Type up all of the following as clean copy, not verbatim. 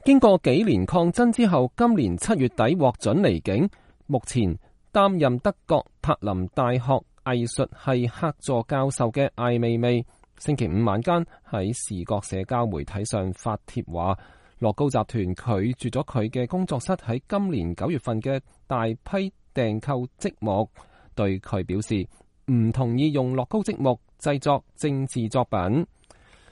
經過幾年抗爭之後，今年7月底獲准離境。目前擔任德國柏林大學藝術系客座教授嘅艾未未，星期五晚間喺視覺社交媒體上發帖話，樂高集團拒絕咗佢嘅工作室喺今年9月份嘅大批訂購積木，對佢表示唔同意用樂高積木製作政治作品。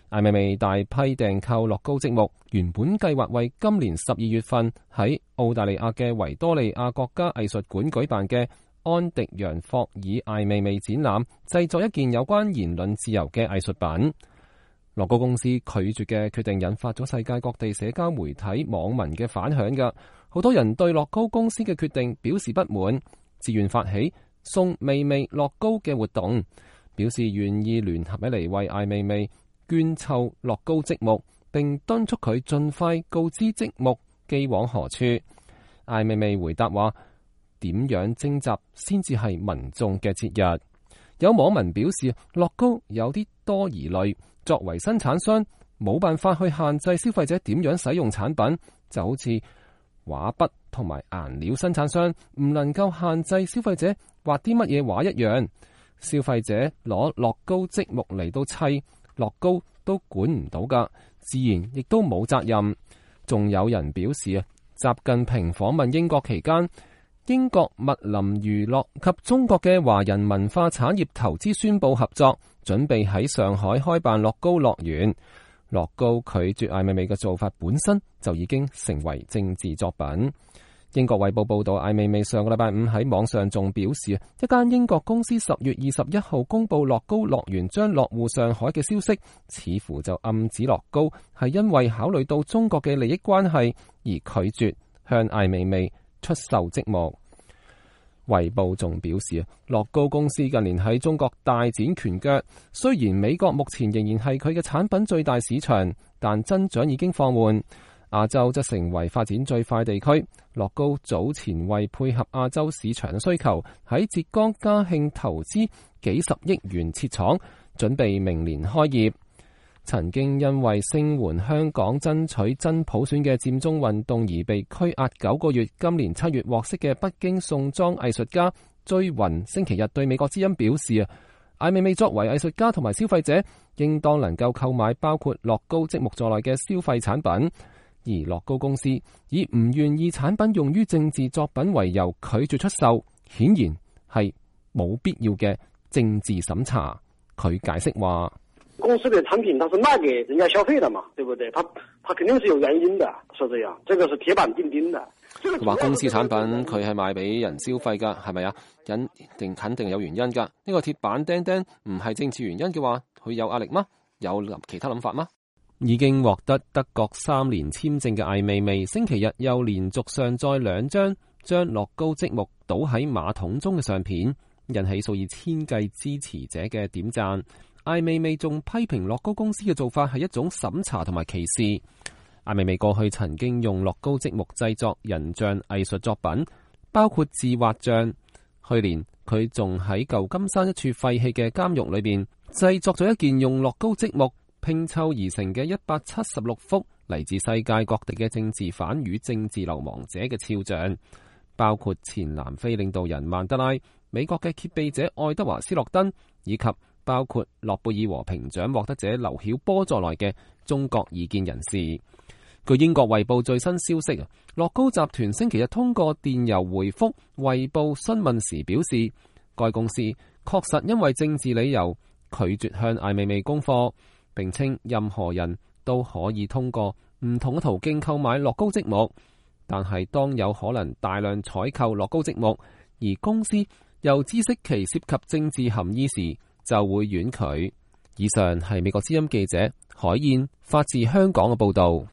艾未未大批訂購樂高積木，原本計劃為今年12月份喺澳大利亞嘅維多利亞國家藝術館舉辦嘅安迪揚霍爾艾未未展覽製作一件有關言論自由嘅藝術品。樂高公司拒絕嘅決定引發咗世界各地社交媒體網民嘅反響㗎，好多人對樂高公司嘅決定表示不滿，自願發起送未未樂高嘅活動，表示願意聯合起嚟為艾未未捐湊樂高積木，並敦促佢盡快告知積木寄往何處。艾未未回答話，點樣徵集先至係民眾嘅節日。有網民表示，樂高有啲多疑慮，作為生產商冇辦法去限制消費者點樣使用產品，就好似畫筆同埋顏料生產商唔能夠限制消費者畫啲乜嘢畫一樣。消費者攞樂高積木嚟到砌樂高都管唔到噶，自然亦都冇責任。仲有人表示啊，習近平訪問英國期間，英國密林娛樂及中國嘅華人文化產業投資宣布合作，準備喺上海開辦樂高樂園。樂高拒絕艾未未嘅做法本身就已經成為政治作品。英國衛報報道，艾未未上個禮拜五喺網上仲表示，一間英國公司10月21號公布樂高樂園將落戶上海嘅消息，似乎就暗指樂高係因為考慮到中國嘅利益關係而拒絕向艾未未出售積木。衛報仲表示，樂高公司近年喺中國大展拳腳，雖然美國目前仍然係佢嘅產品最大市場，但增長已經放緩。亞洲則成為發展最快地區。樂高早前為配合亞洲市場嘅需求，喺浙江嘉興投資幾十億元設廠，準備明年開業。曾經因為聲援香港爭取真普選嘅佔中運動而被拘押9個月，今年7月獲釋嘅北京宋莊藝術家追雲星期日對美國之音表示，艾未未作為藝術家同埋消費者，應當能夠購買包括樂高積木在內嘅消費產品。而樂高公司以唔願意產品用於政治作品為由拒絕出售，顯然係冇必要嘅政治審查。佢解釋話，公司的產品它是賣給人家消費的嘛，對不對？它肯定是有原因的，是這樣，這個是鐵板釘釘的。佢話公司產品佢係賣俾人消費噶，係咪啊？肯定有原因噶。呢個鐵板釘釘唔係政治原因嘅話，佢有壓力嗎？有其他諗法嗎？已經獲得德國3年簽證嘅艾未未，星期日又連續上載2張將樂高積木倒喺馬桶中嘅相片，引起數以千計支持者嘅點讚。艾未未仲批評樂高公司嘅做法係一種審查同埋歧視。艾未未過去曾經用樂高積木製作人像藝術作品，包括自畫像。去年佢仲喺舊金山一處廢棄嘅監獄裏邊製作咗一件用樂高積木拼湊而成嘅176幅嚟自世界各地嘅政治犯與政治流亡者嘅肖像，包括前南非領導人曼德拉、美國嘅揭秘者愛德華斯諾登，以及包括諾貝爾和平獎獲得者劉曉波在內嘅中國異見人士。據英國衛報最新消息，樂高集團星期日通過電郵回覆衛報詢問時表示，該公司確實因為政治理由拒絕向艾未未供貨，並稱任何人都可以通過唔同嘅途徑購買樂高積木，但係當有可能大量採購樂高積木，而公司又知悉其涉及政治含義時，就會婉拒。以上係美國之音記者海燕發自香港嘅報道。